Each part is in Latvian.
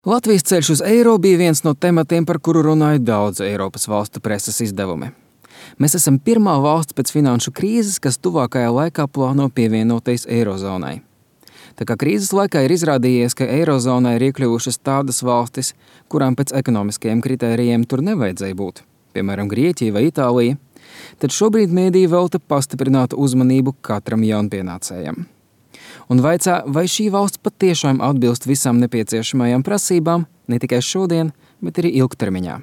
Latvijas ceļš uz eiro bija viens no tematiem, par kuru runāja daudz Eiropas valstu preses izdevumi. Mēs esam pirmā valsts pēc finanšu krīzes, kas tuvākajā laikā plāno pievienoties eirozonai. Tā kā krīzes laikā ir izrādījies, ka eirozonai ir iekļuvušas tādas valstis, kurām pēc ekonomiskajiem kritērijiem tur nevajadzēja būt, piemēram, Grieķija vai Itālija, tad šobrīd mēdīji velta pastiprinātu uzmanību katram jaunpienācējam. Un vaicā, vai šī valsts patiešām atbilst visām nepieciešamajām prasībām, ne tikai šodien, bet arī ilgtermiņā.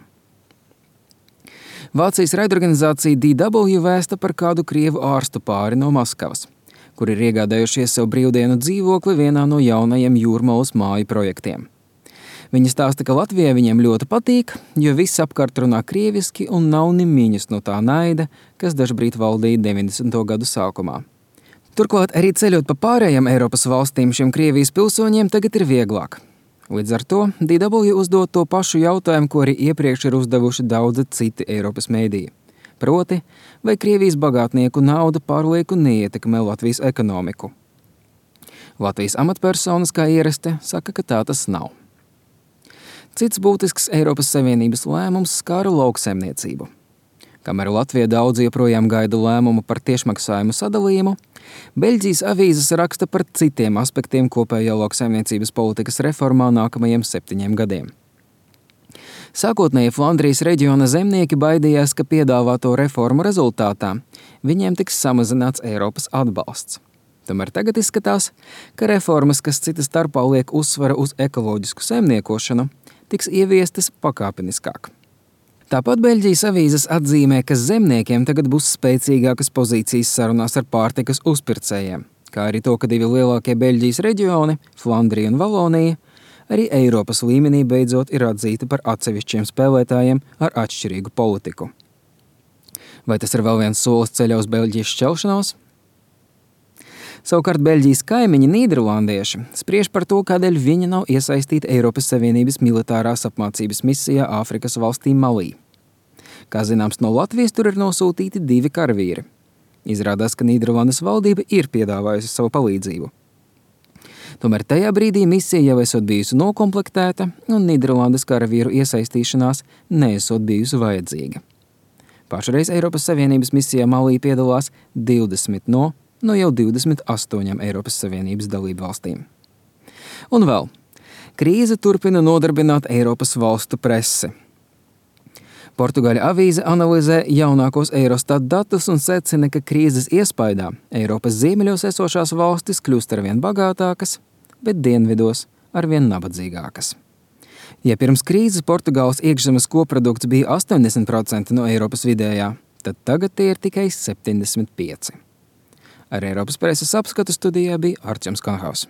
Vācijas raidorganizācija DW vēsta par kādu krievu ārstu pāri no Maskavas, kuri ir iegādājušies sev brīvdienu dzīvokli vienā no jaunajiem jūrmalas māju projektiem. Viņi stāsta, ka Latvijai viņiem ļoti patīk, jo viss apkārt runā krieviski un nav ni miņas no tā naida, kas dažbrīd valdīja 90. gadu sākumā. Turklāt arī ceļot pa pārējām Eiropas valstīm šiem Krievijas pilsoņiem tagad ir vieglāk. Līdz ar to DW uzdod to pašu jautājumu, ko arī iepriekš ir uzdevuši daudzi citi Eiropas mēdīji. Proti, vai Krievijas bagātnieku nauda pārlieku neietekmē Latvijas ekonomiku. Latvijas amatpersonas, kā ierasti, saka, ka tā tas nav. Cits būtisks Eiropas Savienības lēmums skāra lauksaimniecību. Kamēr Latvija daudz joprojām gaida lēmumu par tiešmaksājumu sadalījumu, Beļģijas avīzes raksta par citiem aspektiem kopējā lauksaimniecības politikas reformā nākamajiem 7 gadiem. Sākotnēji Flandrijas reģiona zemnieki baidījās, ka piedāvāto reformu rezultātā viņiem tiks samazināts Eiropas atbalsts. Tomēr tagad izskatās, ka reformas, kas cita starpā liek uzsvaru uz ekoloģisku saimniekošanu, tiks ieviestas pakāpeniskāk. Tāpat Beļģijas avīzes atzīmē, ka zemniekiem tagad būs spēcīgākas pozīcijas sarunās ar pārtikas uzpircējiem, kā arī to, ka 2 lielākie Beļģijas reģioni, Flandrija un Valonija, arī Eiropas līmenī beidzot ir atzīti par atsevišķiem spēlētājiem ar atšķirīgu politiku. Vai tas ir vēl viens solis ceļā uz Beļģijas šķelšanos? Savukārt Beļģijas kaimiņi nīderlandieši spriež par to, kādēļ viņi nav iesaistīti Eiropas Savienības militārās apmācības misijā Āfrikas valstī Malī. Kā zināms, no Latvijas tur ir nosūtīti 2 karavīri. Izrādās, ka Nīderlandes valdība ir piedāvājusi savu palīdzību. Tomēr tajā brīdī misija jau esot bijusi nokomplektēta un Nīderlandes karavīru iesaistīšanās neesot bijusi vajadzīga. Pašreiz Eiropas Savienības misijā Malī piedalās 20 no jau 28 Eiropas Savienības dalību valstīm. Un vēl, krīze turpina nodarbināt Eiropas valstu presi. Portugāļu avīze analizē jaunākos Eurostat datus un secina, ka krīzes iespaidā Eiropas ziemeļos esošās valstis kļūst arvien bagātākas, bet dienvidos arvien nabadzīgākas. Ja pirms krīzes Portugāles iekšzemes koprodukts bija 80% no Eiropas vidējā, tad tagad tie ir tikai 75%. Ar Eiropas preses apskatu studijā bija Arčuns Kanhaus.